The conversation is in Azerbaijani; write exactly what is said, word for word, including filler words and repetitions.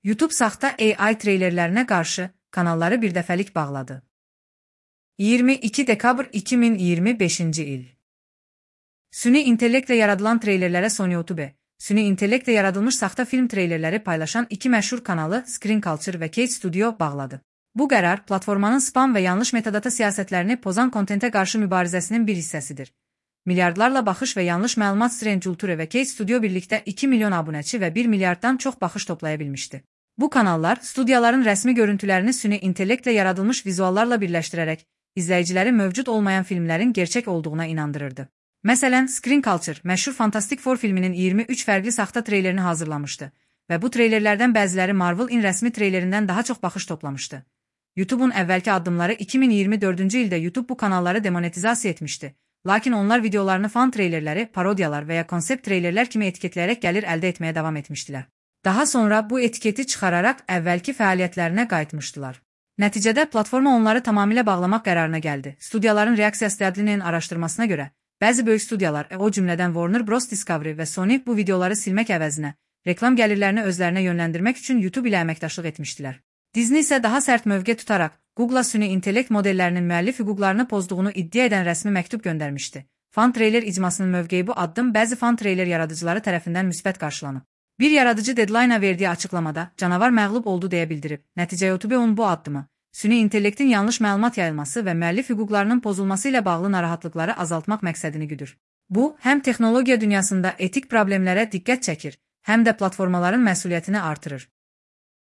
YouTube saxta A I treylerlərinə qarşı kanalları birdəfəlik bağladı. iyirmi iki dekabr iki min iyirmi beşinci il. Süni intellektlə yaradılan treylerlərə Sony YouTube, süni intellektlə yaradılmış saxta film treylerləri paylaşan iki məşhur kanalı Screen Culture və Cage Studio bağladı. Bu qərar, platformanın spam və yanlış metadata siyasətlərini pozan kontentə qarşı mübarizəsinin bir hissəsidir. Milyardlarla baxış və yanlış məlumat Screen Culture və Cage Studio birlikdə iki milyon abunəçi və bir milyarddan çox baxış toplaya bilmişdi. Bu kanallar, studiyaların rəsmi görüntülərini süni intellektlə yaradılmış vizuallarla birləşdirərək, izləyiciləri mövcud olmayan filmlərin gerçək olduğuna inandırırdı. Məsələn, Screen Culture, məşhur Fantastic Four filminin iyirmi üç fərqli saxta treylerini hazırlamışdı və bu treylerlərdən bəziləri Marvel-in rəsmi treylerindən daha çox baxış toplamışdı. YouTube'un əvvəlki addımları iki min iyirmi dördüncü ildə YouTube bu kanalları demonetizasiya etmişdi. Lakin onlar videolarını fan treylerləri, parodiyalar və ya konsept treylerlər kimi etiketləyərək gəlir əldə etməyə davam etmişdilər. Daha sonra bu etiketi çıxararaq əvvəlki fəaliyyətlərinə qayıtmışdılar. Nəticədə platforma onları tamamilə bağlamaq qərarına gəldi. Studiyaların reaksiyası tədlinin araşdırmasına görə, bəzi böyük studiyalar, o cümlədən Warner Bros. Discovery və Sony bu videoları silmək əvəzinə, reklam gəlirlərini özlərinə yönləndirmək üçün YouTube ilə əməkdaşlıq etmişdilər. Disney isə daha sərt mövqe tutaraq, Google-a süni intellekt modellərinin müəllif hüquqlarını pozduğunu iddia edən rəsmi məktub göndərmişdi. Fan treyler icmasının mövqeyi bu addım bəzi fan treyler yaradıcıları tərəfindən müsbət qarşılanıb. Bir yaradıcı Deadline-a verdiyi açıqlamada, canavar məğlub oldu deyə bildirib. Nəticə YouTube-un bu addımı, süni intellektin yanlış məlumat yayılması və müəllif hüquqlarının pozulması ilə bağlı narahatlıqları azaltmaq məqsədini güdür. Bu, həm texnologiya dünyasında etik problemlərə diqqət çəkir, həm də platformaların məsuliyyətini artırır.